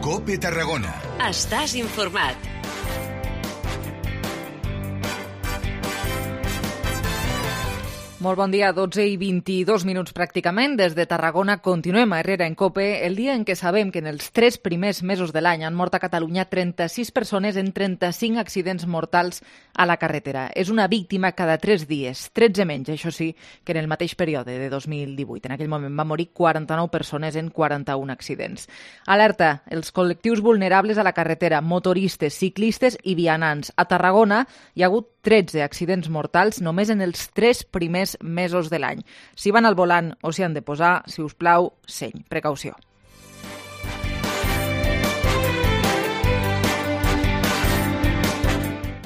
COPE Tarragona. Estàs informat. Molt bon dia, 12 i 22 minuts pràcticament. Des de Tarragona continuem a Herrera en COPE, el dia en què sabem que en els 3 primers mesos de l'any han mort a Catalunya 36 persones en 35 accidents mortals a la carretera. És una víctima cada 3 dies, 13 menys, això sí, que en el mateix període de 2018. En aquell moment van morir 49 persones en 41 accidents. Alerta, els col·lectius vulnerables a la carretera, motoristes, ciclistes i vianants. A Tarragona hi ha hagut 13 accidents mortals només en els 3 primers mesos de l'any. Si van al volant o s'hi han de posar, si us plau, seny, precaució.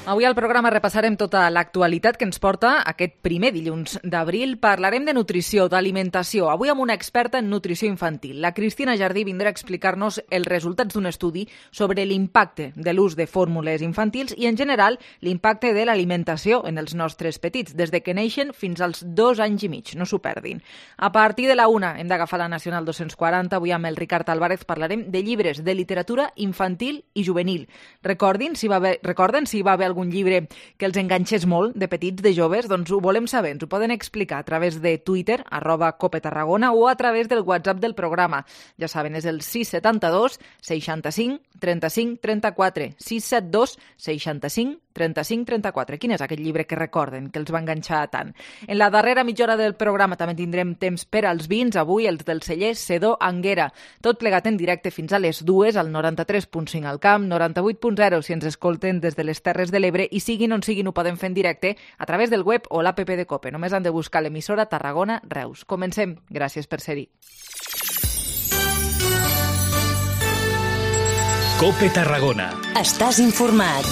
Avui al programa repassarem tota l'actualitat que ens porta aquest primer dilluns d'abril. Parlarem de nutrició, d'alimentació, avui amb una experta en nutrició infantil. La Cristina Jardí vindrà a explicar-nos els resultats d'un estudi sobre l'impacte de l'ús de fórmules infantils i, en general, l'impacte de l'alimentació en els nostres petits, des de que neixen fins als 2 anys i mig. No s'ho perdin. A partir de la 1 hem d'agafar la Nacional 240. Avui amb el Ricard Álvarez parlarem de llibres de literatura infantil i juvenil. Recorden si va haver algun llibre que els enganxés molt de petits, de joves? Doncs ho volem saber, ens ho poden explicar a través de Twitter, @COPETarragona, o a través del WhatsApp del programa. Ja saben, és el 672 65 35 34, 672 65 35 34. Quin és aquest llibre que recorden, que els va enganxar tant? En la darrera mitja hora del programa també tindrem temps per als vins, avui els del celler Sedó Anguera. Tot plegat en directe fins a les 2, al 93.5 al Camp, 98.0 si ens escolten des de les Terres de l'Ebre, i siguin on siguin ho poden fer en directe a través del web o l'app de COPE. Només han de buscar l'emissora Tarragona Reus. Comencem. Gràcies per ser-hi. COPE Tarragona. Estàs informat.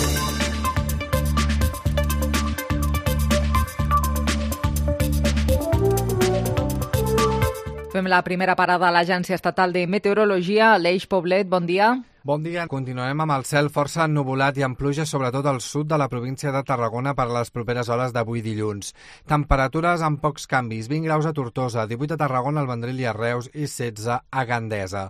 Fem la primera parada a l'Agència Estatal de Meteorologia. Aleix Poblet, bon dia. Bon dia. Continuem amb el cel força ennuvolat i amb pluja sobretot al sud de la província de Tarragona per a les properes hores d'avui dilluns. Temperatures amb pocs canvis, 20 graus a Tortosa, 18 a Tarragona, al Vendrell i a Reus i 16 a Gandesa.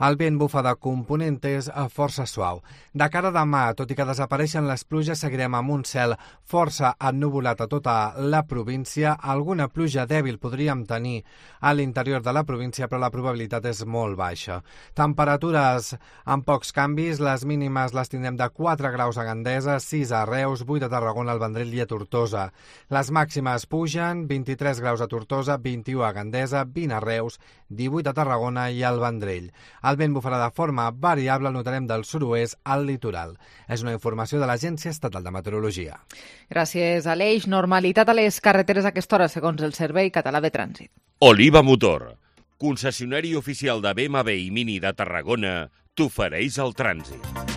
El vent bufa de component és força suau. De cara a demà, tot i que desapareixen les pluges, seguirem amb un cel força ennuvolat a tota la província. Alguna pluja dèbil podríem tenir a l'interior de la província, però la probabilitat és molt baixa. Temperatures amb pocs canvis, les mínimes les tindrem de 4 graus a Gandesa, 6 a Reus, 8 a Tarragona, al Vendrell i a Tortosa. Les màximes pugen, 23 graus a Tortosa, 21 a Gandesa, 20 a Reus, 18 a Tarragona i al Vendrell. El vent bufarà de forma variable, el notarem del sud-oest al litoral. És una informació de l'Agència Estatal de Meteorologia. Gràcies, Aleix. Normalitat a les carreteres a aquesta hora, segons el Servei Català de Trànsit. Oliva Motor, concessionari oficial de BMW i Mini de Tarragona, t'ofereix el trànsit.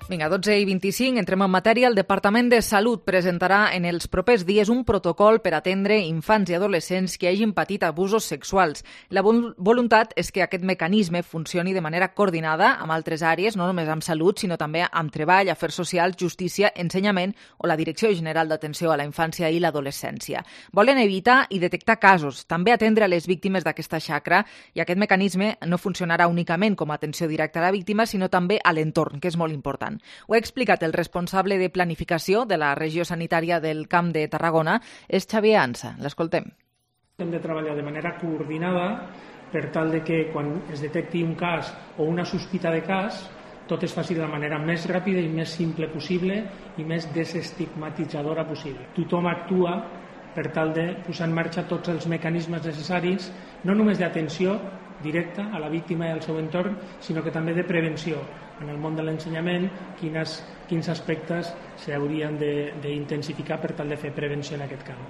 Vinga, 12 i 25, entrem en matèria. El Departament de Salut presentarà en els propers dies un protocol per atendre infants i adolescents que hagin patit abusos sexuals. La voluntat és que aquest mecanisme funcioni de manera coordinada amb altres àrees, no només amb salut, sinó també amb treball, afers socials, justícia, ensenyament o la Direcció General d'Atenció a la Infància i l'Adolescència. Volen evitar i detectar casos, també atendre a les víctimes d'aquesta xacra, i aquest mecanisme no funcionarà únicament com a atenció directa a la víctima, sinó també a l'entorn, que és molt important. Ho ha explicat el responsable de planificació de la regió sanitària del Camp de Tarragona, és Xavier Ansa. L'escoltem. Hem de treballar de manera coordinada per tal de que quan es detecti un cas o una sospita de cas, tot es faci de la manera més ràpida i més simple possible i més desestigmatitzadora possible. Tothom actua per tal de posar en marxa tots els mecanismes necessaris, no només d'atenció directa a la víctima i al seu entorn, sinó que també de prevenció. En el món de l'ensenyament, quins aspectes s'haurien d'intensificar per tal de fer prevenció en aquest camp.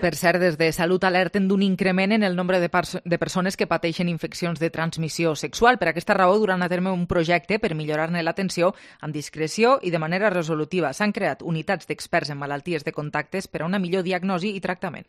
Per cert, des de Salut alerten d'un increment en el nombre de persones que pateixen infeccions de transmissió sexual. Per aquesta raó, duran a terme un projecte per millorar-ne l'atenció amb discreció i de manera resolutiva. S'han creat unitats d'experts en malalties de contactes per a una millor diagnosi i tractament.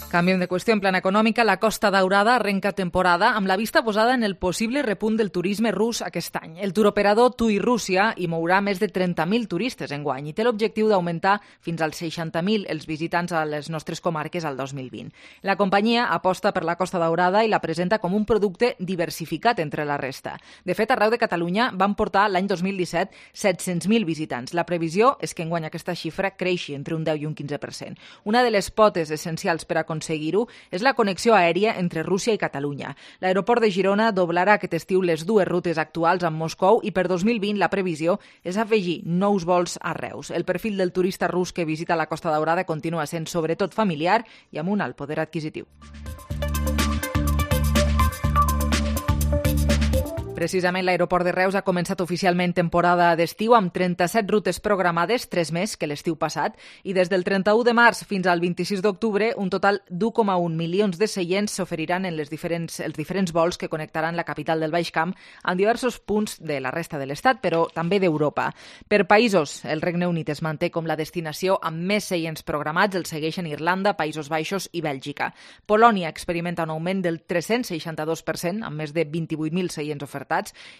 Canviem de qüestió. En plana econòmica, la Costa Daurada arrenca temporada amb la vista posada en el possible repunt del turisme rus aquest any. El turoperador TUI Rússia hi mourà més de 30.000 turistes enguany i té l'objectiu d'augmentar fins als 60.000 els visitants a les nostres comarques al 2020. La companyia aposta per la Costa Daurada i la presenta com un producte diversificat entre la resta. De fet, arreu de Catalunya van portar l'any 2017 700.000 visitants. La previsió és que enguany aquesta xifra creixi entre un 10 i un 15%. Una de les potes essencials per aconseguir-ho és la connexió aèria entre Rússia i Catalunya. L'aeroport de Girona doblarà aquest estiu les dues rutes actuals amb Moscou i per 2020 la previsió és afegir nous vols a Reus. El perfil del turista rus que visita la Costa Daurada continua sent sobretot familiar i amb un alt poder adquisitiu. Precisament l'aeroport de Reus ha començat oficialment temporada d'estiu amb 37 rutes programades, 3 més que l'estiu passat, i des del 31 de març fins al 26 d'octubre un total d'1,1 milions de seients s'oferiran en els diferents vols que connectaran la capital del Baix Camp amb diversos punts de la resta de l'Estat, però també d'Europa. Per països, el Regne Unit es manté com la destinació amb més seients programats, el segueixen Irlanda, Països Baixos i Bèlgica. Polònia experimenta un augment del 362%, amb més de 28.000 seients ofertats,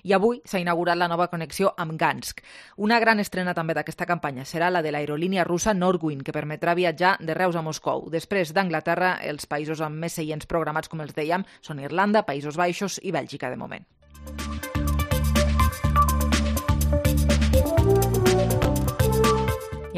i avui s'ha inaugurat la nova connexió amb Gansk. Una gran estrena també d'aquesta campanya serà la de l'aerolínia russa Norwind, que permetrà viatjar de Reus a Moscou. Després d'Anglaterra, els països amb més seients programats, com els dèiem, són Irlanda, Països Baixos i Bèlgica de moment.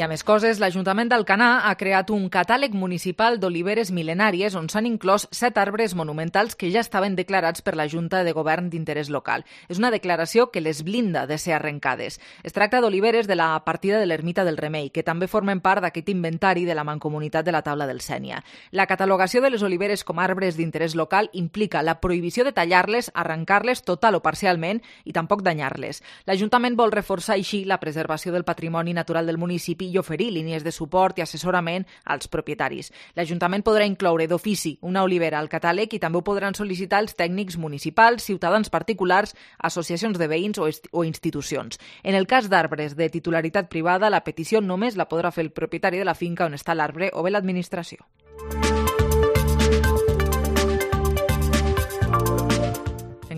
I a més coses, l'Ajuntament d'Alcanar ha creat un catàleg municipal d'oliveres mil·lenàries on s'han inclòs 7 arbres monumentals que ja estaven declarats per la Junta de Govern d'Interès Local. És una declaració que les blinda de ser arrencades. Es tracta d'oliveres de la partida de l'Ermita del Remei, que també formen part d'aquest inventari de la Mancomunitat de la Taula del Sénia. La catalogació de les oliveres com a arbres d'interès local implica la prohibició de tallar-les, arrencar-les total o parcialment i tampoc danyar-les. L'Ajuntament vol reforçar així la preservació del patrimoni natural del municipi i oferir línies de suport i assessorament als propietaris. L'Ajuntament podrà incloure d'ofici una olivera al catàleg i també ho podran sol·licitar els tècnics municipals, ciutadans particulars, associacions de veïns o institucions. En el cas d'arbres de titularitat privada, la petició només la podrà fer el propietari de la finca on està l'arbre o bé l'administració.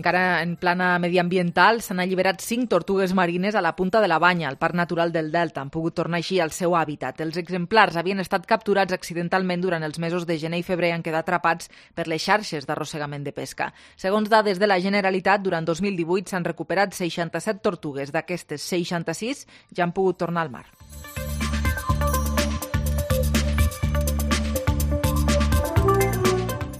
Encara en plana mediambiental, s'han alliberat 5 tortugues marines a la Punta de la Banya, al Parc Natural del Delta. Han pogut tornar així al seu hàbitat. Els exemplars havien estat capturats accidentalment durant els mesos de gener i febrer i han quedat atrapats per les xarxes d'arrossegament de pesca. Segons dades de la Generalitat, durant 2018 s'han recuperat 67 tortugues. D'aquestes, 66 ja han pogut tornar al mar.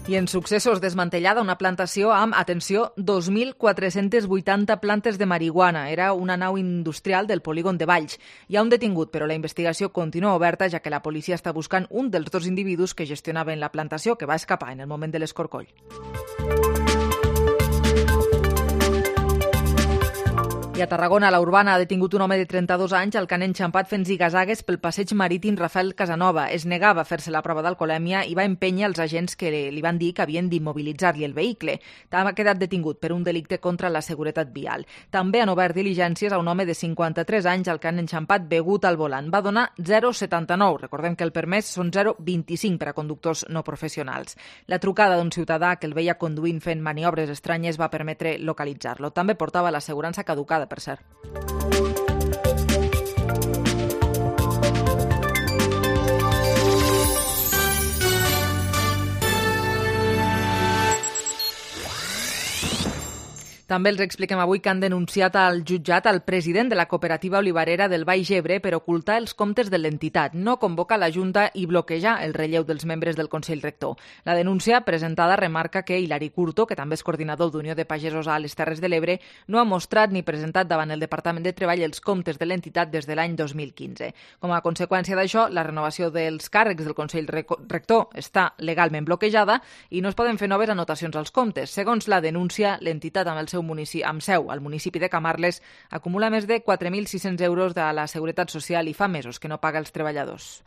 I en successos, desmantellada una plantació amb, atenció, 2.480 plantes de marihuana. Era una nau industrial del polígon de Valls. Hi ha un detingut, però la investigació continua oberta, ja que la policia està buscant un dels 2 individus que gestionaven la plantació, que va escapar en el moment de l'escorcoll. I a Tarragona, la Urbana ha detingut un home de 32 anys al que han enxampat fent zigazagues pel passeig marítim Rafael Casanova. Es negava a fer-se la prova d'alcoholèmia i va empènyer els agents que li van dir que havien d'immobilitzar-li el vehicle. Ha quedat detingut per un delicte contra la seguretat vial. També han obert diligències a un home de 53 anys al que han enxampat begut al volant. Va donar 0,79. Recordem que el permès són 0,25 per a conductors no professionals. La trucada d'un ciutadà que el veia conduint fent maniobres estranyes va permetre localitzar-lo. També portava l'assegurança caducada, per cert. També els expliquem avui que han denunciat al jutjat al president de la cooperativa olivarera del Baix Ebre per ocultar els comptes de l'entitat, no convocar la Junta i bloquejar el relleu dels membres del Consell Rector. La denúncia presentada remarca que Hilari Curto, que també és coordinador d'Unió de Pagesos a les Terres de l'Ebre, no ha mostrat ni presentat davant el Departament de Treball els comptes de l'entitat des de l'any 2015. Com a conseqüència d'això, la renovació dels càrrecs del Consell Rector està legalment bloquejada i no es poden fer noves anotacions als comptes. Segons la denúncia, l'entitat amb seu al municipi de Camarles acumula més de 4.600 euros de la Seguretat Social i fa mesos que no paga els treballadors.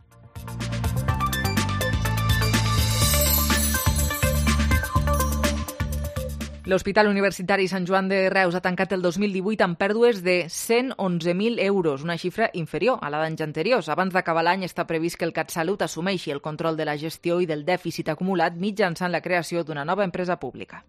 L'Hospital Universitari Sant Joan de Reus ha tancat el 2018 amb pèrdues de 111.000 euros, una xifra inferior a la d'anys anteriors. Abans d'acabar l'any està previst que el CatSalut assumeixi el control de la gestió i del dèficit acumulat mitjançant la creació d'una nova empresa pública.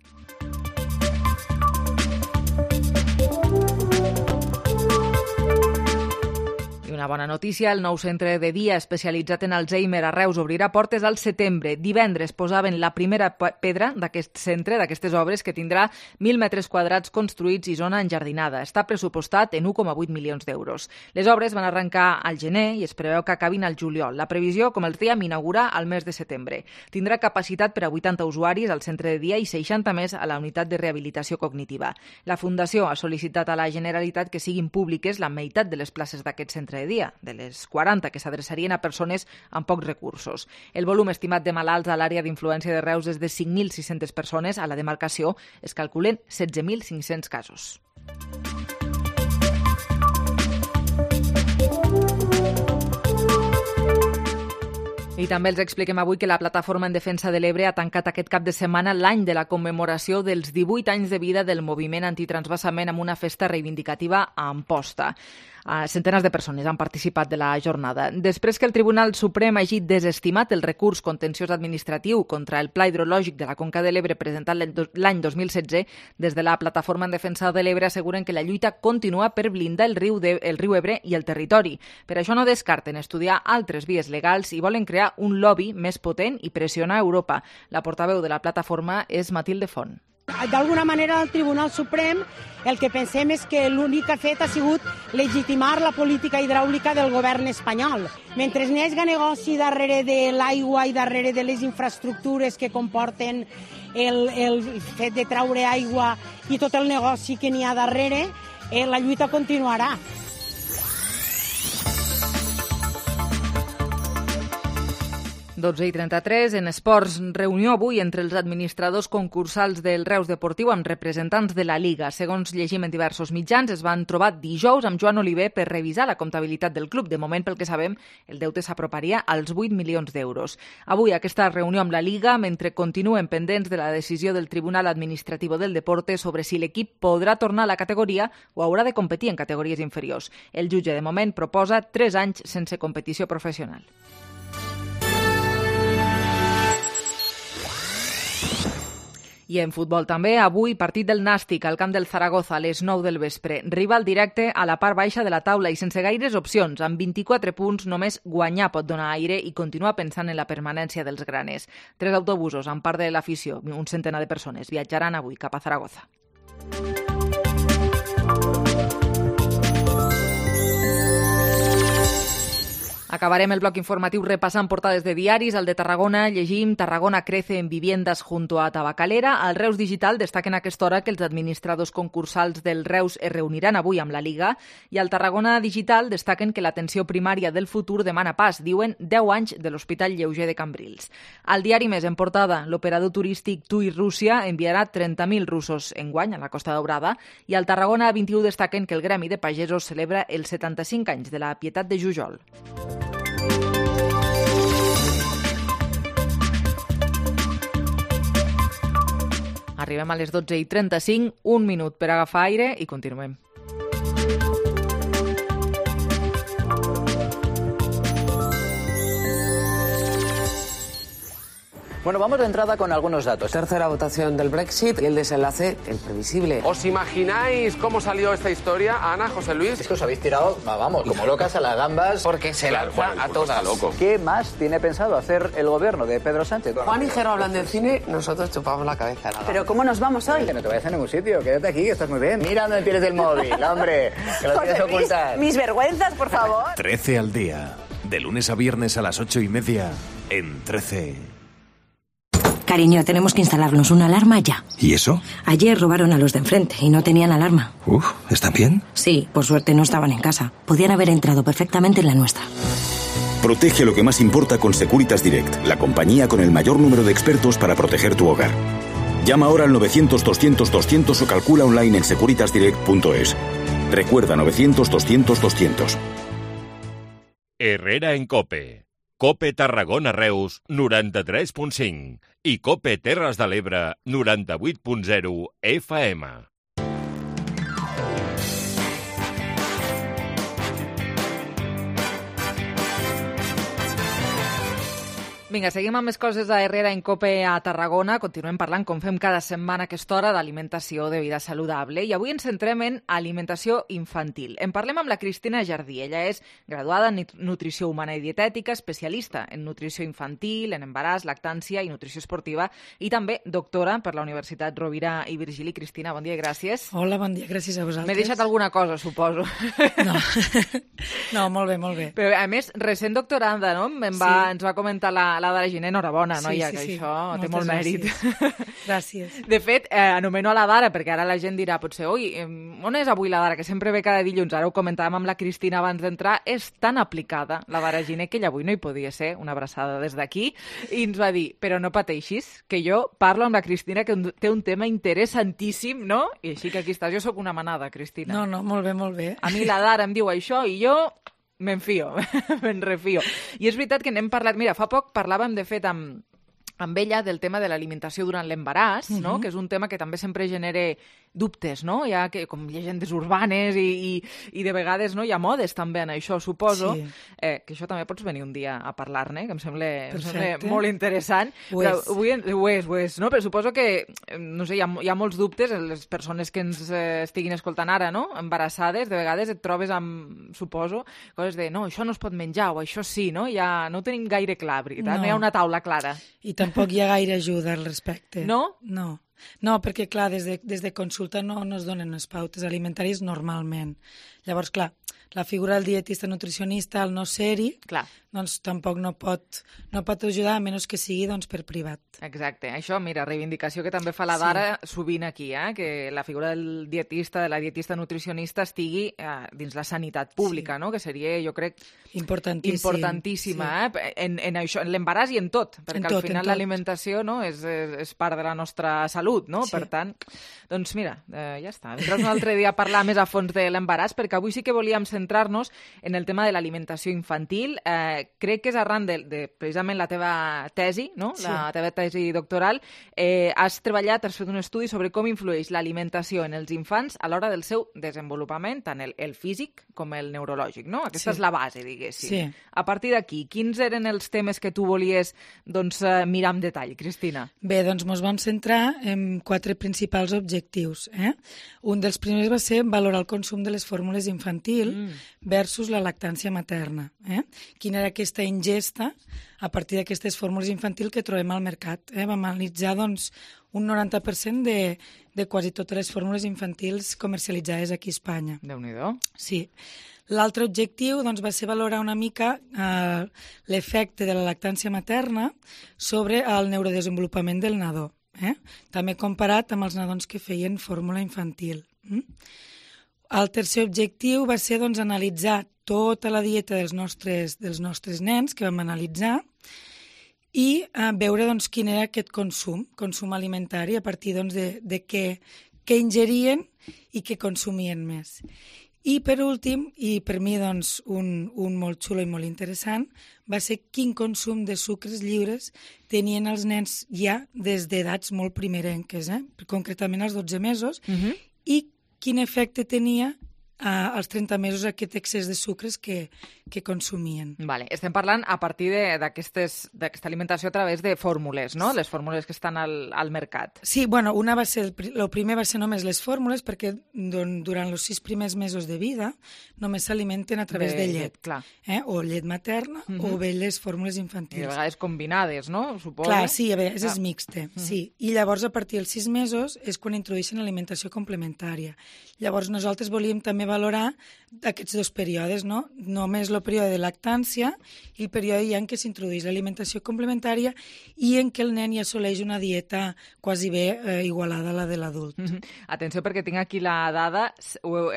Una bona notícia, el nou centre de dia especialitzat en Alzheimer a Reus obrirà portes al setembre. Divendres posaven la primera pedra d'aquest centre, d'aquestes obres, que tindrà 1.000 metres quadrats construïts i zona enjardinada. Està pressupostat en 1,8 milions d'euros. Les obres van arrencar al gener i es preveu que acabin al juliol. La previsió, com els dèiem, inaugura al mes de setembre. Tindrà capacitat per a 80 usuaris al centre de dia i 60 més a la unitat de rehabilitació cognitiva. La Fundació ha sol·licitat a la Generalitat que siguin públiques la meitat de les places d'aquest centre de dia, de les 40 que s'adreçarien a persones amb pocs recursos. El volum estimat de malalts a l'àrea d'influència de Reus és de 5.600 persones. A la demarcació es calculen 16.500 casos. I també els expliquem avui que la Plataforma en Defensa de l'Ebre ha tancat aquest cap de setmana l'any de la commemoració dels 18 anys de vida del moviment antitransvasament amb una festa reivindicativa a Amposta. Centenars de persones han participat de la jornada. Després que el Tribunal Suprem hagi desestimat el recurs contenciós administratiu contra el Pla Hidrològic de la Conca de l'Ebre presentat l'any 2016, des de la Plataforma en Defensa de l'Ebre asseguren que la lluita continua per blindar el riu Ebre i el territori. Per això no descarten estudiar altres vies legals i volen crear un lobby més potent i pressionar a Europa. La portaveu de la plataforma és Matilde Font. D'alguna manera, el Tribunal Suprem el que pensem és que l'únic que ha fet ha sigut legitimar la política hidràulica del govern espanyol. Mentre n'hi hagi negoci darrere de l'aigua i darrere de les infraestructures que comporten el fet de traure aigua i tot el negoci que n'hi ha darrere, la lluita continuarà. i 33, en esports, reunió avui entre els administradors concursals del Reus Deportiu amb representants de la Liga. Segons llegim en diversos mitjans, es van trobar dijous amb Joan Oliver per revisar la comptabilitat del club. De moment, pel que sabem, el deute s'aproparia als 8 milions d'euros. Avui aquesta reunió amb la Liga, mentre continuen pendents de la decisió del Tribunal Administrativo del Deporte sobre si l'equip podrà tornar a la categoria o haurà de competir en categories inferiors. El jutge, de moment, proposa 3 anys sense competició professional. I en futbol també, avui partit del Nàstic al camp del Zaragoza a les 9 del vespre. Rival directe a la part baixa de la taula i sense gaires opcions. Amb 24 punts només guanyar pot donar aire i continuar pensant en la permanència dels granes. 3 autobusos amb part de l'afició, un centenar de persones, viatjaran avui cap a Zaragoza. Acabarem el bloc informatiu repassant portades de diaris. Al de Tarragona llegim Tarragona crece en viviendas junto a Tabacalera. Al Reus Digital destaquen a aquesta hora que els administradors concursals del Reus es reuniran avui amb la Liga i al Tarragona Digital destaquen que l'atenció primària del futur demana pas. Diuen 10 anys de l'Hospital Lleuger de Cambrils. Al diari Més en portada, l'operador turístic TUI Rússia enviarà 30.000 russos enguany a la Costa Daurada i al Tarragona 21 destaquen que el Gremi de Pagesos celebra els 75 anys de la Pietat de Jujol. Arribem a les 12:35, un minut per agafar aire i continuem. Bueno, vamos de entrada con algunos datos. Tercera votación del Brexit y el desenlace, el previsible. ¿Os imagináis cómo salió esta historia, Ana, José Luis? Es que os habéis tirado, vamos, como locas a las gambas. Porque se lanza a todas. Loco. ¿Qué más tiene pensado hacer el gobierno de Pedro Sánchez? Juan y Jero hablan del cine, nosotros chupamos la cabeza. ¿Pero cómo nos vamos hoy? Que no te vayas a ningún sitio, quédate aquí, que estás muy bien. Mira dónde tienes el móvil, hombre, que lo tienes ocultar. Mis vergüenzas, por favor. 13 al día, de lunes a viernes a las 8:30, en 13. Cariño, tenemos que instalarnos una alarma ya. ¿Y eso? Ayer robaron a los de enfrente y no tenían alarma. ¿Están bien? Sí, por suerte no estaban en casa. Podían haber entrado perfectamente en la nuestra. Protege lo que más importa con Securitas Direct, la compañía con el mayor número de expertos para proteger tu hogar. Llama ahora al 900-200-200 o calcula online en securitasdirect.es. Recuerda 900-200-200. Herrera en COPE. COPE Tarragona Reus 93.5 i COPE Terres de l'Ebre 98.0 FM. Vinga, seguim amb més coses a Herrera en COPE a Tarragona. Continuem parlant, com fem cada setmana a aquesta hora, d'alimentació, de vida saludable. I avui ens centrem en alimentació infantil. En parlem amb la Cristina Jardí. Ella és graduada en nutrició humana i dietètica, especialista en nutrició infantil, en embaràs, lactància i nutrició esportiva, i també doctora per la Universitat Rovira i Virgili. Cristina, bon dia i gràcies. Hola, bon dia, gràcies a vosaltres. M'he deixat alguna cosa, suposo. No, molt bé, molt bé. Però, a més, recent doctoranda, no? Ens va comentar la Dara Giner, enhorabona, noia, que això té molt mèrit. Gràcies. De fet, anomeno a la Dara, perquè ara la gent dirà, potser, oi, on és avui la Dara, que sempre ve cada dilluns? Ara ho comentàvem amb la Cristina abans d'entrar, és tan aplicada, la Dara Giner, que ella avui no hi podia ser, una abraçada des d'aquí, i ens va dir, però no pateixis, que jo parlo amb la Cristina, que té un tema interessantíssim, no? I així que aquí estàs. Jo sóc una manada, Cristina. No, molt bé, molt bé. A mi la Dara em diu això i jo me'n fio, me'n refio. I és veritat que n'hem parlat... Mira, fa poc parlàvem, de fet, amb ella del tema de l'alimentació durant l'embaràs, no? Que és un tema que també sempre genera dubtes, no? Hi ha com llegendes urbanes i de vegades no hi ha modes també en això, suposo. Sí. Que això també pots venir un dia a parlar-ne, que em sembla molt interessant. Ho és, no? Però suposo que, no sé, hi ha molts dubtes, les persones que ens estiguin escoltant ara, no? Embarassades, de vegades et trobes amb, suposo, coses de, no, això no es pot menjar, o això sí, no? Ja no ho tenim gaire clar, veritat? No hi ha una taula clara. I tampoc hi ha gaire ajuda al respecte. No? No, perquè, clar, des de consulta no es donen les pautes alimentàries normalment. Llavors, clar, la figura del dietista nutricionista, al no ser-hi, doncs tampoc no pot ajudar, a menys que sigui doncs, per privat. Exacte. Això, mira, reivindicació que també fa la Dara sovint aquí, que la figura del dietista, de la dietista nutricionista estigui dins la sanitat pública, no? Que seria, jo crec, importantíssima en això, en l'embaràs i en tot, perquè al final l'alimentació és part de la nostra salut, no? Per tant, doncs mira, ja està. Vindràs un altre dia a parlar més a fons de l'embaràs, perquè avui sí que volíem centrar-nos en el tema de l'alimentació infantil. Crec que és arran de precisament la teva tesi, no? La teva tesi doctoral. Has treballat, has fet un estudi sobre com influeix l'alimentació en els infants a l'hora del seu desenvolupament, tant el físic com el neurològic, no? Aquesta és la base, diguéssim. Sí. A partir d'aquí, quins eren els temes que tu volies mirar amb detall, Cristina? Bé, doncs ens vam centrar en 4 principals objectius. Un dels primers va ser valorar el consum de les fórmules infantil versus la lactància materna. Quina era aquesta ingesta a partir d'aquestes fórmules infantil que trobem al mercat. Vam analitzar doncs, un 90% de quasi totes les fórmules infantils comercialitzades aquí a Espanya. Déu-n'hi-do. Sí. L'altre objectiu doncs, va ser valorar una mica l'efecte de la lactància materna sobre el neurodesenvolupament del nadó. També comparat amb els nadons que feien fórmula infantil. El tercer objectiu va ser doncs, analitzar tota la dieta dels nostres nens que vam analitzar i veure doncs, quin era aquest consum alimentari a partir doncs, de què ingerien i què consumien més. I per últim, i per mi doncs, un molt xulo i molt interessant, va ser quin consum de sucres lliures tenien els nens ja des d'edats molt primerenques, concretament als 12 mesos, i quin efecte tenia als 30 mesos aquest excés de sucres que consumien. Vale. Estem parlant a partir d'aquesta alimentació a través de fórmules, no? Les fórmules que estan al mercat. Sí, bueno, el primer va ser només les fórmules perquè durant els 6 primers mesos de vida només s'alimenten a través de llet. Clar. O llet materna o bé les fórmules infantils. I de vegades combinades, no? Suposo. Clar, sí, a veure, és mixte. Sí. I llavors a partir dels 6 mesos és quan introdueixen alimentació complementària. Llavors nosaltres volíem també valorar aquests 2 períodes, no? Només el període de lactància i el període ja en què s'introdueix l'alimentació complementària i en què el nen ja assoleix una dieta quasi bé igualada a la de l'adult. Atenció, perquè tinc aquí la dada,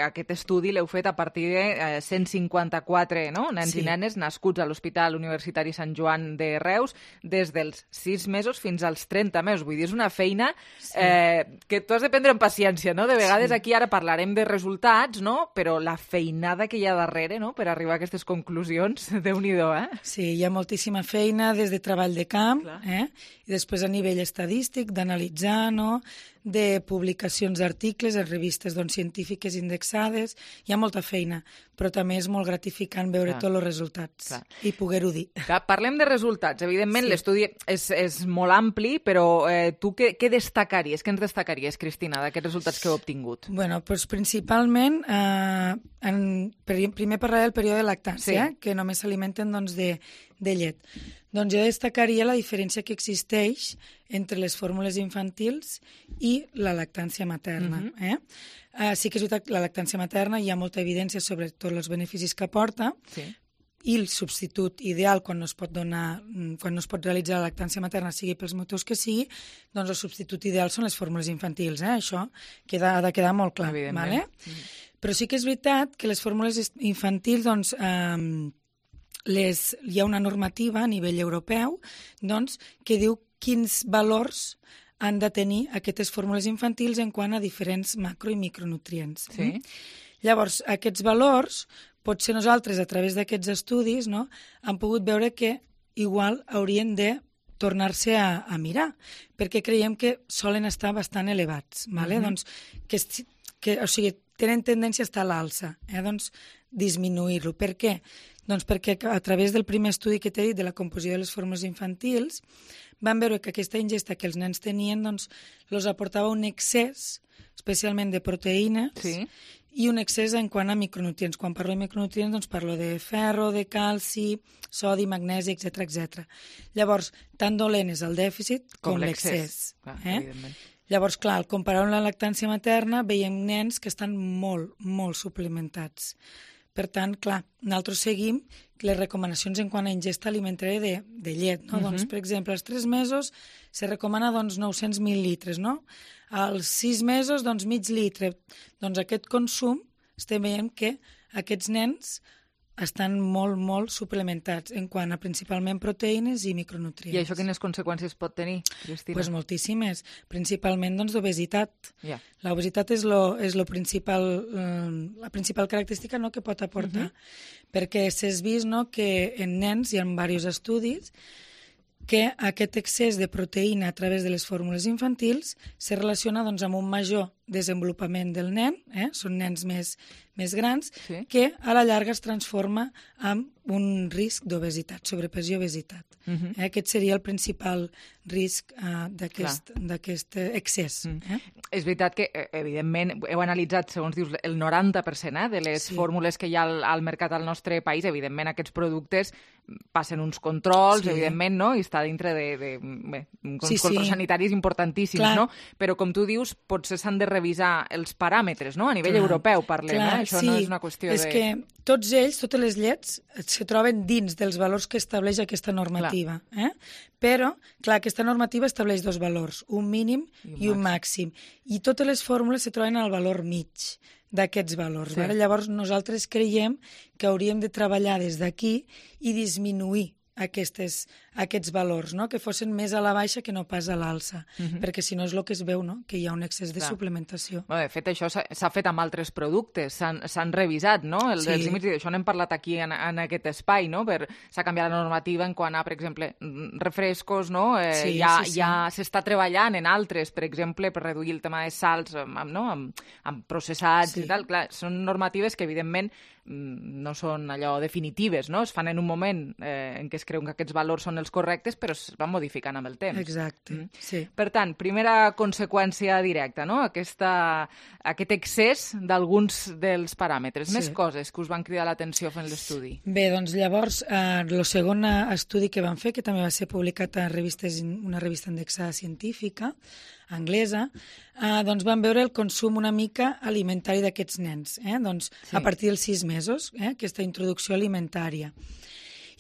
aquest estudi l'heu fet a partir de 154 nens i nenes nascuts a l'Hospital Universitari Sant Joan de Reus des dels 6 mesos fins als 30 mesos. Vull dir, és una feina que tu has de prendre amb paciència, no? De vegades aquí ara parlarem de resultats, no? no? Però la feinada que hi ha darrere, no?, per arribar a aquestes conclusions, Déu-n'hi-do, Sí, hi ha moltíssima feina des de treball de camp, i després a nivell estadístic, d'analitzar, no?, de publicacions d'articles en revistes científiques indexades. Hi ha molta feina, però també és molt gratificant veure tots els resultats i poder-ho dir. Parlem de resultats. Evidentment, l'estudi és molt ampli, però tu què destacaries? Què ens destacaries, Cristina, d'aquests resultats que heu obtingut? Bueno, doncs principalment, primer parlaré del període de lactància, que només s'alimenten de llet. Doncs jo destacaria la diferència que existeix entre les fórmules infantils i la lactància materna. Sí que és veritat que la lactància materna hi ha molta evidència sobre tots els beneficis que aporta, i el substitut ideal quan no es pot realitzar la lactància materna, sigui pels motius que sigui, doncs el substitut ideal són les fórmules infantils. Això ha de quedar molt clar. Però sí que és veritat que les fórmules infantils, doncs, hi ha una normativa a nivell europeu que diu quins valors han de tenir aquestes fórmules infantils en quant a diferents macro- i micronutrients. Llavors, aquests valors, potser nosaltres, a través d'aquests estudis, hem pogut veure que igual haurien de tornar-se a mirar, perquè creiem que solen estar bastant elevats. Doncs, o sigui, tenen tendència a estar a l'alça, doncs disminuir-lo. Per què? Doncs perquè a través del primer estudi que t'he dit de la composició de les fórmules infantils van veure que aquesta ingesta que els nens tenien els aportava un excés, especialment de proteïnes, i un excés en quant a micronutrients. Quan parlo de micronutrients, doncs parlo de ferro, de calci, sodi, magnesi, etc. Llavors, tan dolent és el dèficit com l'excés. Llavors, clar, al comparar amb la lactància materna, veiem nens que estan molt, molt suplementats. Per tant, clar, nosaltres seguim les recomanacions en quant a ingesta alimentària de llet. Doncs, per exemple, als 3 mesos se recomana 900 mil·lilitres, als 6 mesos, mig litre. Doncs aquest consum estem veient que aquests nens estan molt, molt suplementats en quant a principalment proteïnes i micronutrients. I això quines conseqüències pot tenir, Cristina? Doncs moltíssimes. Principalment d'obesitat. L'obesitat és la principal característica que pot aportar, perquè s'ha vist que en nens hi ha diversos estudis que aquest excés de proteïna a través de les fórmules infantils se relaciona amb un major desenvolupament del nen, són nens més grans, que a la llarga es transforma en un risc d'obesitat, sobrepeso i obesitat. Aquest seria el principal risc d'aquest excés. És veritat que, evidentment, heu analitzat, segons dius, el 90% de les fórmules que hi ha al mercat al nostre país. Evidentment, aquests productes passen uns controls, evidentment, no? I està dintre uns controls sanitaris importantíssims, no? Però, com tu dius, potser s'han de revisar els paràmetres, no? A nivell europeu parlem, això no és una qüestió de... És que tots ells, totes les llets, se troben dins dels valors que estableix aquesta normativa. Però, clar, aquesta normativa estableix 2 valors, un mínim i un màxim. I totes les fórmules se troben al valor mig d'aquests valors. Llavors, nosaltres creiem que hauríem de treballar des d'aquí i disminuir aquests valors, que fossin més a la baixa que no pas a l'alça, perquè si no és el que es veu, que hi ha un excés de suplementació. De fet, això s'ha fet amb altres productes, s'han revisat, els límits, i d'això n'hem parlat aquí en aquest espai, s'ha canviat la normativa en quant a, per exemple, refrescos, ja s'està treballant en altres, per exemple, per reduir el tema de salts amb processats i tal. Clar, són normatives que, evidentment, no són allò definitives, es fan en un moment en què es creuen que aquests valors són els correctes, però es van modificant amb el temps. Exacte, sí. Per tant, primera conseqüència directa, aquest excés d'alguns dels paràmetres. Més coses que us van cridar l'atenció fent l'estudi. Bé, doncs llavors, el segon estudi que van fer, que també va ser publicat a una revista indexada científica, anglesa, doncs van veure el consum una mica alimentari d'aquests nens, a partir dels 6 mesos, aquesta introducció alimentària.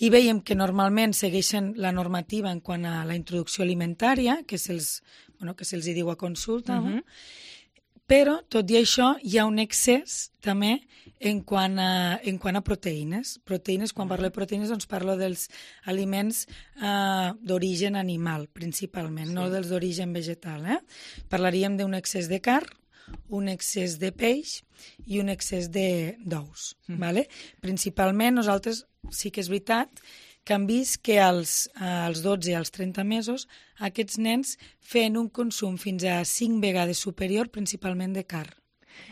I veiem que normalment segueixen la normativa en quant a la introducció alimentària, que se'ls diu a consulta, però, tot i això, hi ha un excés també en quant a proteïnes. Quan parlo de proteïnes, doncs parlo dels aliments d'origen animal, principalment, no dels d'origen vegetal. Parlaríem d'un excés de carn, un excés de peix i un excés d'ous. Vale? Principalment, nosaltres sí que és veritat que han vist que als 12 i als 30 mesos aquests nens feien un consum fins a 5 vegades superior, principalment de carn.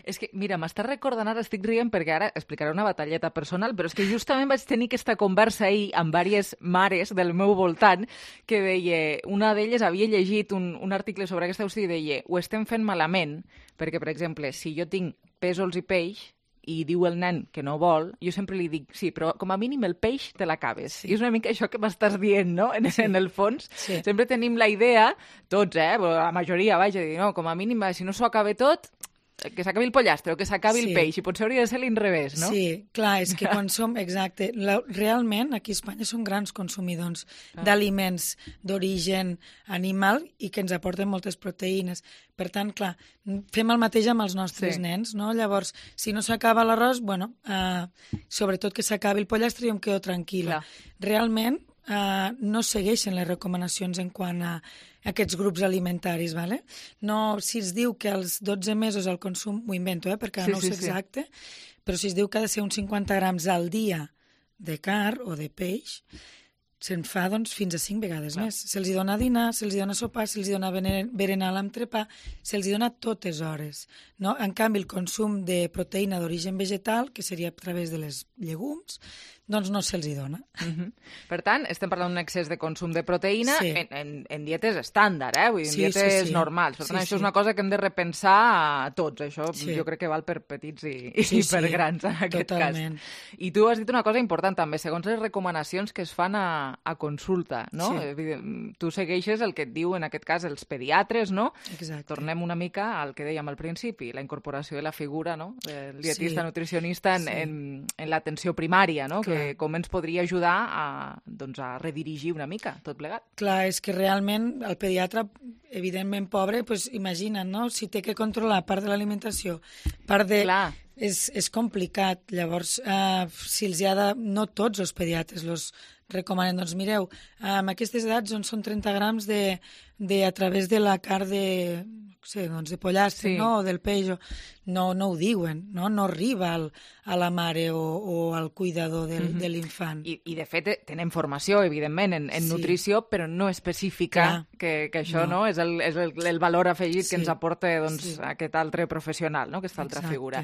És que, mira, m'estàs recordant, ara estic rient perquè ara explicaré una batalleta personal, però és que justament vaig tenir aquesta conversa ahir amb diverses mares del meu voltant que deia, una d'elles havia llegit un article sobre aquesta qüestió i deia, ho estem fent malament, perquè, per exemple, si jo tinc pèsols i peix i diu el nen que no vol, jo sempre li dic, sí, però com a mínim el peix te l'acabes. I és una mica això que m'estàs dient, no? En el fons. Sempre tenim la idea, tots, la majoria, vaja, dir, no, com a mínim, si no s'ho acaba tot, que s'acabi el pollastre o que s'acabi el peix, i potser hauria de ser l'inrevés, no? Sí, clar, és que quan som, exacte, realment aquí a Espanya som grans consumidors d'aliments d'origen animal i que ens aporten moltes proteïnes. Per tant, clar, fem el mateix amb els nostres nens, no? Llavors, si no s'acaba l'arròs, bueno, sobretot que s'acabi el pollastre i em quedo tranquil·la. Realment, no segueixen les recomanacions en quant a aquests grups alimentaris, ¿vale? No, si es diu que als 12 mesos el consum, ho invento, perquè no ho sé exacte, però si es diu que ha de ser uns 50 grams al dia de carn o de peix, se'n fa doncs, fins a 5 vegades més. Se'ls dona dinar, se'ls dona sopar, se'ls dona berenar l'entrepà, se'ls dona totes hores. No? En canvi, el consum de proteïna d'origen vegetal, que seria a través de les llegums, doncs no se'ls dona. Per tant, estem parlant d'un excés de consum de proteïna en dietes estàndard, vull dir, en dietes normals. Per tant, això és una cosa que hem de repensar a tots. Això jo crec que val per petits i per grans, en aquest cas. I tu has dit una cosa important també, segons les recomanacions que es fan a consulta, no? Tu segueixes el que et diu, en aquest cas, els pediatres, no? Tornem una mica al que dèiem al principi, la incorporació de la figura, no?, del dietista nutricionista en l'atenció primària, no?, com ens podria ajudar a redirigir una mica tot plegat. Clar, és que realment el pediatre, evidentment pobre, imagina't, no? Si té que controlar part de l'alimentació, part de... És complicat. Llavors, si els hi ha de... No tots els pediatres els recomanen. Doncs mireu, amb aquestes edats són 30 grams a través de la carn de pollastre, o del peix, no ho diuen, no arriba a la mare o al cuidador de l'infant. I de fet tenen formació, evidentment, en nutrició, però no específica, que això és el valor afegit que ens aporta aquest altre professional, aquesta altra figura.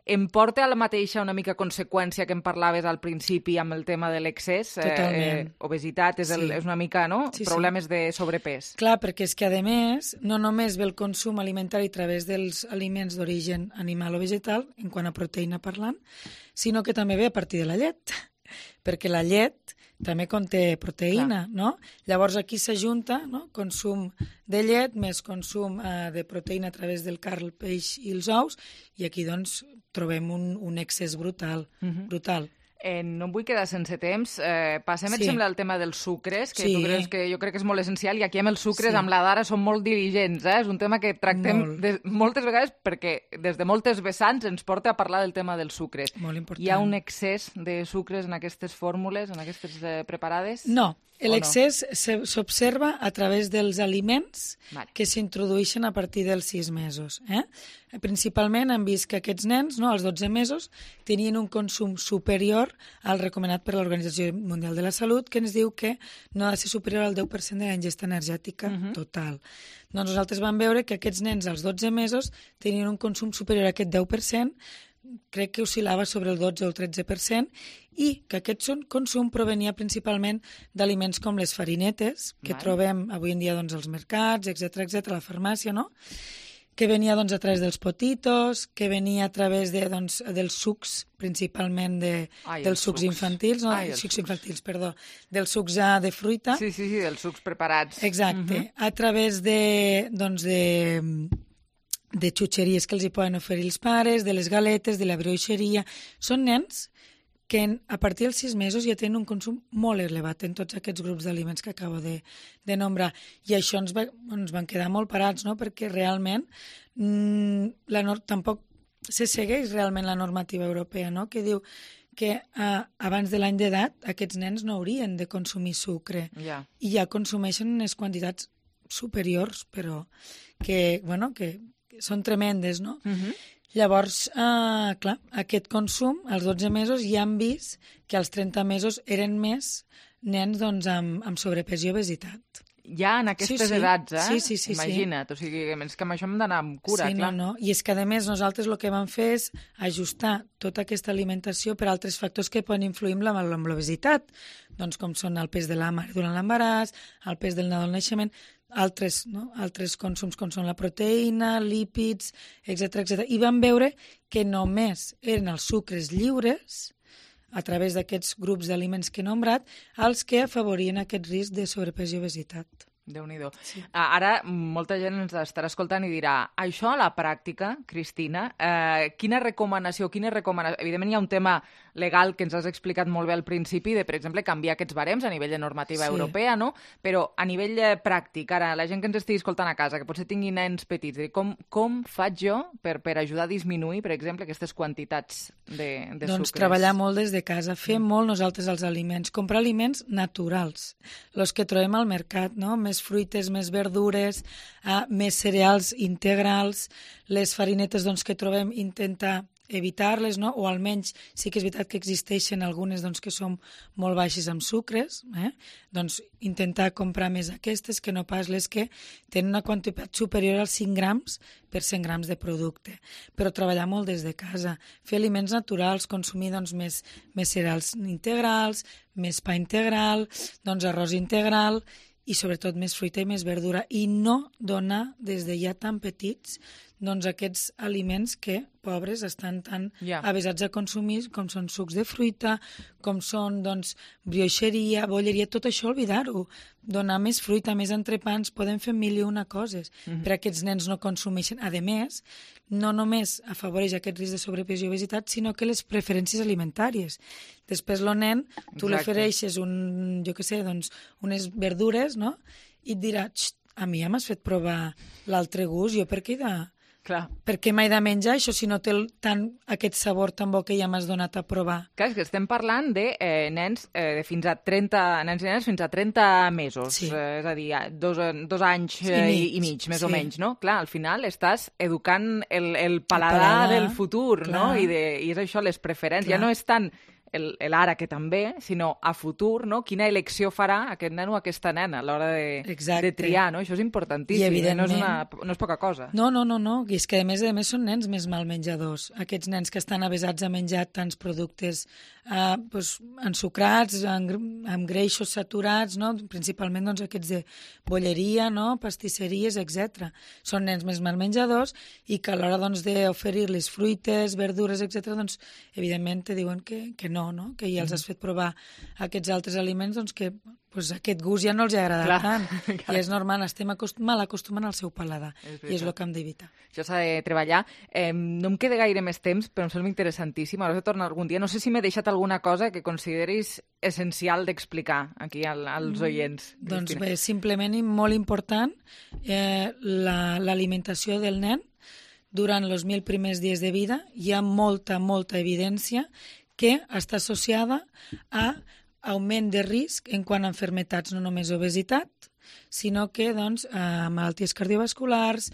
Em porta a la mateixa una mica conseqüència que em parlaves al principi amb el tema de l'excés. Totalment. Obesitat és una mica, no? Problemes de sobrepès. Clar, perquè és que, a més, no només ve el consum alimentari a través dels aliments d'origen animal o vegetal, en quant a proteïna parlant, sinó que també ve a partir de la llet, perquè la llet també conté proteïna, no? Llavors aquí s'ajunta, no?, consum de llet més consum de proteïna a través del carn, el peix i els ous, i aquí doncs trobem un excés brutal. No em vull quedar sense temps. Passem, et sembla, al tema dels sucres, que tu creus que jo crec que és molt essencial, i aquí amb els sucres, amb la Dara, som molt diligents. És un tema que tractem moltes vegades perquè des de moltes vessants ens porta a parlar del tema dels sucres. Molt important. Hi ha un excés de sucres en aquestes fórmules, en aquestes preparades? No. L'excés s'observa a través dels aliments que s'introdueixen a partir dels 6 mesos. Principalment hem vist que aquests nens, als 12 mesos, tenien un consum superior al recomanat per l'Organització Mundial de la Salut, que ens diu que no ha de ser superior al 10% de la ingesta energètica total. Doncs nosaltres vam veure que aquests nens als 12 mesos tenien un consum superior a aquest 10%, crec que oscil·lava sobre el 12 o el 13%, i que aquest consum provenia principalment d'aliments com les farinetes, que trobem avui en dia als mercats, etc., a la farmàcia, no?, que venia a través dels potitos, que venia a través dels sucs, principalment dels sucs infantils, dels sucs de fruita. Sí, dels sucs preparats. Exacte. A través de xutxeries que els hi poden oferir els pares, de les galetes, de la bruixeria. Són nens que a partir dels 6 mesos ja tenen un consum molt elevat en tots aquests grups d'aliments que acabo de nombrar. I això ens van quedar molt parats, no?, perquè realment tampoc se segueix realment la normativa europea, no?, que diu que abans de l'any d'edat aquests nens no haurien de consumir sucre. I ja consumeixen unes quantitats superiors, però que són tremendes, no? Llavors, clar, aquest consum, als 12 mesos, ja han vist que als 30 mesos eren més nens doncs, amb sobrepès i obesitat. Ja en aquestes edats, Sí. Imagina't, o sigui, és que amb això hem d'anar amb cura, clar. No. I és que, a més, nosaltres el que vam fer és ajustar tota aquesta alimentació per altres factors que poden influir amb l'obesitat, doncs com són el pes de la mare durant l'embaràs, el pes del nadó al naixement, altres consums com són la proteïna, lípids, etc. I vam veure que només eren els sucres lliures, a través d'aquests grups d'aliments que he nombrat, els que afavorien aquest risc de sobrepès i obesitat. Déu-n'hi-do. Sí. Ara molta gent ens estarà escoltant i dirà, això a la pràctica, Cristina, quines recomanacions... Evidentment hi ha un tema legal que ens has explicat molt bé al principi, de, per exemple, canviar aquests barems a nivell de normativa europea, no? Però a nivell pràctic, ara, la gent que ens estigui escoltant a casa, que potser tingui nens petits, com faig jo per ajudar a disminuir, per exemple, aquestes quantitats de sucres? Doncs treballar molt des de casa, fer molt nosaltres els aliments, comprar aliments naturals, els que trobem al mercat, no? Més fruites, més verdures, més cereals integrals, les farinetes doncs, que trobem, intentar evitar-les, no? O almenys sí que és veritat que existeixen algunes doncs, que són molt baixes amb sucres, doncs intentar comprar més aquestes que no pas les que tenen una quantitat superior als 5 grams per 100 grams de producte. Però treballar molt des de casa, fer aliments naturals, consumir doncs, més cereals integrals, més pa integral, doncs arròs integral, i sobretot més fruita i més verdura, i no donar des de ja tan petits doncs, aquests aliments que, pobres, estan tan avesats a consumir, com són sucs de fruita, com són doncs, brioixeria, bolleria, tot això oblidar-ho. Donar més fruita, més entrepans, podem fer 1001 coses per a aquests nens no consumeixen. A més, no només afavoreix aquest risc de sobrepès i obesitat, sinó que les preferències alimentàries. Després el nen, tu li ofereixes unes verdures, no? I et dirà, a mi ja m'has fet provar l'altre gust, jo per què Per què m'he de menjar això si no té tant aquest sabor tan bo que ja m'has donat a provar? Clar, és que estem parlant de nens fins a 30 nens i nenes fins a 30 mesos, és a dir, 2 anys i mig, més o menys, no? Clar, al final estàs educant el paladar del futur, no? I és això, les preferències. Ja no és tant l'ara, que també, sinó a futur, no? Quina elecció farà aquest nen o aquesta nena a l'hora de triar, no? Això és importantíssim, no és poca cosa. No, i és que a més són nens més mal menjadors. Aquests nens que estan avesats a menjar tants productes ensucrats, amb greixos saturats, no? Principalment doncs, aquests de bolleria, no? Pastisseries, etc. Són nens més mal menjadors i que a l'hora doncs, d'oferir-les fruites, verdures, etc., doncs, evidentment te diuen que no, que ja els has fet provar aquests altres aliments, doncs que aquest gust ja no els agrada tant. I és normal, estem mal acostumant al seu paladar, i és el que hem d'evitar. Això s'ha de treballar. No em queda gaire més temps, però em sembla interessantíssim. Ara de tornar algun dia. No sé si m'he deixat alguna cosa que consideris essencial d'explicar aquí als oients. Doncs bé, simplement i molt important, l'alimentació del nen durant els 1000 primers dies de vida. Hi ha molta evidència que està associada a augment de risc en quant a malalties, no només obesitat, sinó que doncs, malalties cardiovasculars,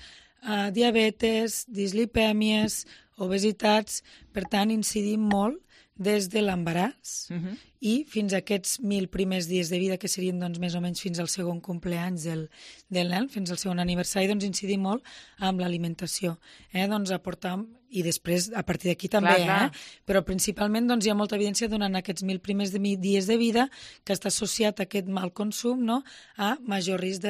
diabetes, dislipèmies, obesitats. Per tant, incidim molt des de l'embaràs i fins a aquests 1000 primers dies de vida, que serien doncs, més o menys fins al segon cumpleaños del nen, fins al segon aniversari, doncs incidim molt amb l'alimentació. Doncs aportar, i després a partir d'aquí també, però principalment doncs, hi ha molta evidència durant aquests 1000 primers dies de vida que està associat a aquest mal consum, no? A major risc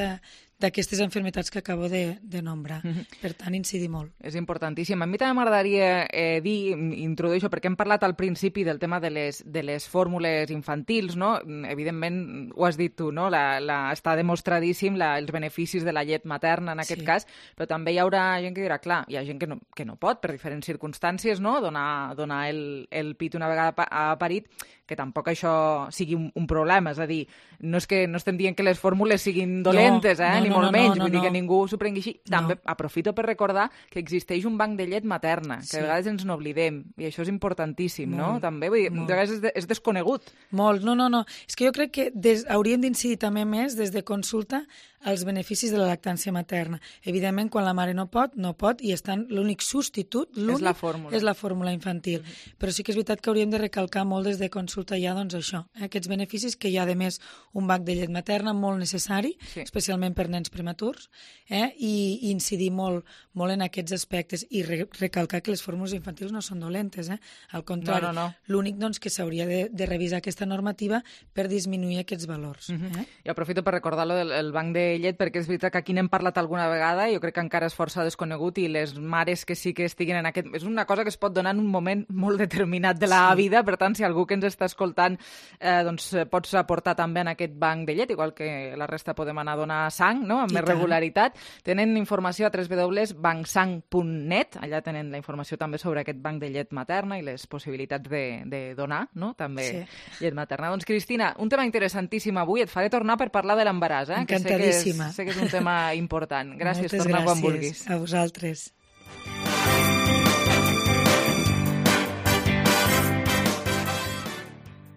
d'aquestes malalties que acabo de nombrar. Per tant, incidir molt. És importantíssim. A mi també m'agradaria introduir això, perquè hem parlat al principi del tema de les fórmules infantils, no? Evidentment, ho has dit tu, no? Està demostradíssim els beneficis de la llet materna en aquest cas, però també hi haurà gent que dirà, clar, hi ha gent que no pot, per diferents circumstàncies, no? Donar el pit una vegada parit, que tampoc això sigui un problema. És a dir, no és que no estem dient que les fórmules siguin dolentes, ni molt menys, vull dir que ningú s'ho prengui així. També aprofito per recordar que existeix un banc de llet materna, que a vegades ens n'oblidem, i això és importantíssim, no? També, vull dir, a vegades és desconegut. Molt, no. És que jo crec que hauríem d'incidir també més des de consulta els beneficis de la lactància materna. Evidentment, quan la mare no pot, i l'únic substitut, és la fórmula infantil. Però sí que és veritat que hauríem de recalcar molt des de consulta ja, doncs això, aquests beneficis, que hi ha, a més, un banc de llet materna molt necessari, especialment per nens prematurs, i incidir molt en aquests aspectes i recalcar que les fórmules infantils no són dolentes, al contrari, l'únic que s'hauria de revisar aquesta normativa per disminuir aquests valors. I aprofito per recordar el banc de llet, perquè és veritat que aquí n'hem parlat alguna vegada, jo crec que encara és força desconegut, i les mares que sí que estiguin en aquest... És una cosa que es pot donar en un moment molt determinat de la vida, per tant, si algú que ens està escoltant doncs pots aportar també en aquest banc de llet, igual que la resta podem anar a donar sang, no?, amb més regularitat. Tenen informació a www.bancsang.net, allà tenen la informació també sobre aquest banc de llet materna i les possibilitats de donar, no?, també llet materna. Doncs, Cristina, un tema interessantíssim avui. Et faré tornar per parlar de l'embaràs, Encantadíssima. Sé que és un tema important. Gràcies, torna quan vulguis. A vosaltres.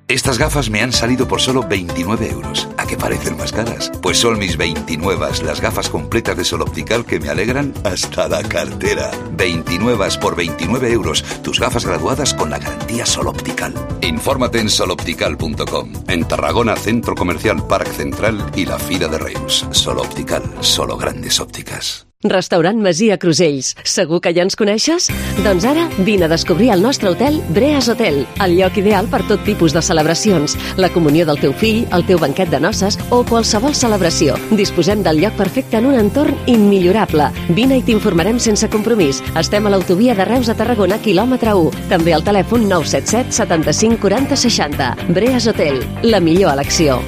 Estas gafas me han salido por solo 29 euros. ¿A qué parecen más caras? Pues son mis 29, las gafas completas de Sol Optical que me alegran hasta la cartera. 29 por 29 euros. Tus gafas graduadas con la garantía Sol Optical. Infórmate en soloptical.com. En Tarragona, Centro Comercial Parc Central y la Fira de Reus. Sol Optical, solo grandes ópticas. Restaurant Masia Crusells. Segur que ja ens coneixes? Doncs ara vine a descobrir el nostre hotel Breas Hotel, el lloc ideal per tot tipus de celebracions, la comunió del teu fill, el teu banquet de noces o qualsevol celebració. Disposem del lloc perfecte en un entorn immillorable. Vine i t'informarem sense compromís. Estem a l'autovia de Reus a Tarragona, quilòmetre 1. També al telèfon 977 75 40 60. Breas Hotel, la millor elecció.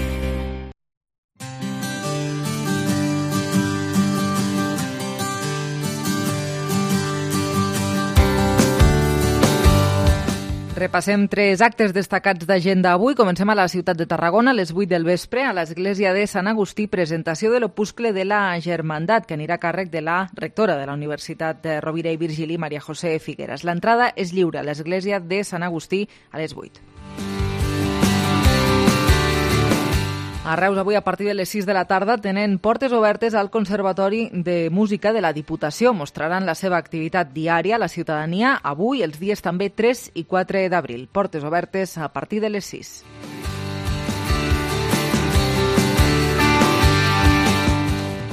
Repassem 3 actes destacats d'agenda avui. Comencem a la ciutat de Tarragona a les 8 del vespre a l'església de Sant Agustí, presentació de l'opuscle de la Germandat, que anirà a càrrec de la rectora de la Universitat de Rovira i Virgili, Maria José Figueras. L'entrada és lliure a l'església de Sant Agustí a les 8. A Reus, avui, a partir de les 6 de la tarda, tenen portes obertes al Conservatori de Música de la Diputació. Mostraran la seva activitat diària a la ciutadania avui, els dies també 3 i 4 d'abril. Portes obertes a partir de les 6.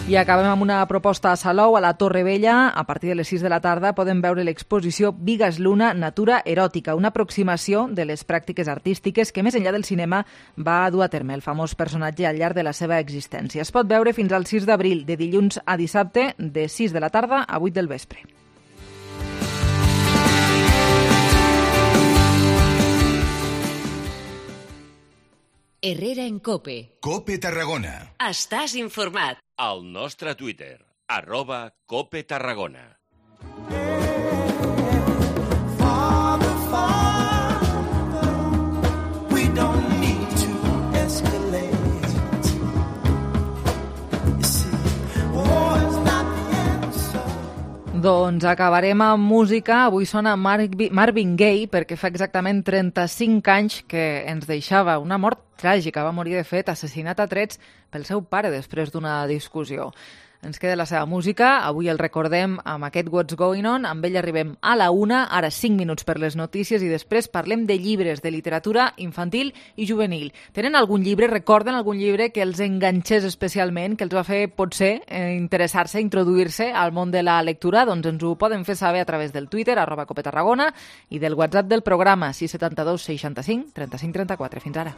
I acabem amb una proposta a Salou, a la Torre Vella. A partir de les 6 de la tarda podem veure l'exposició Vigas Luna, Natura Eròtica, una aproximació de les pràctiques artístiques que, més enllà del cinema, va dur a terme el famós personatge al llarg de la seva existència. Es pot veure fins al 6 d'abril, de dilluns a dissabte, de 6 de la tarda a 8 del vespre. Herrera en COPE. COPE Tarragona. Estàs informat. Al nostre Twitter, @COPE Tarragona. Doncs acabarem amb música. Avui sona Marvin Gaye perquè fa exactament 35 anys que ens deixava una mort tràgica. Va morir, de fet, assassinat a trets pel seu pare després d'una discussió. Ens queda la seva música. Avui el recordem amb aquest What's Going On. Amb ell arribem a la 1, ara 5 minuts per les notícies i després parlem de llibres, de literatura infantil i juvenil. Tenen algun llibre, recorden algun llibre que els enganxés especialment, que els va fer, potser, interessar-se, introduir-se al món de la lectura? Doncs ens ho poden fer saber a través del Twitter, @COPE Tarragona, i del WhatsApp del programa, 672 65 35 34. Fins ara.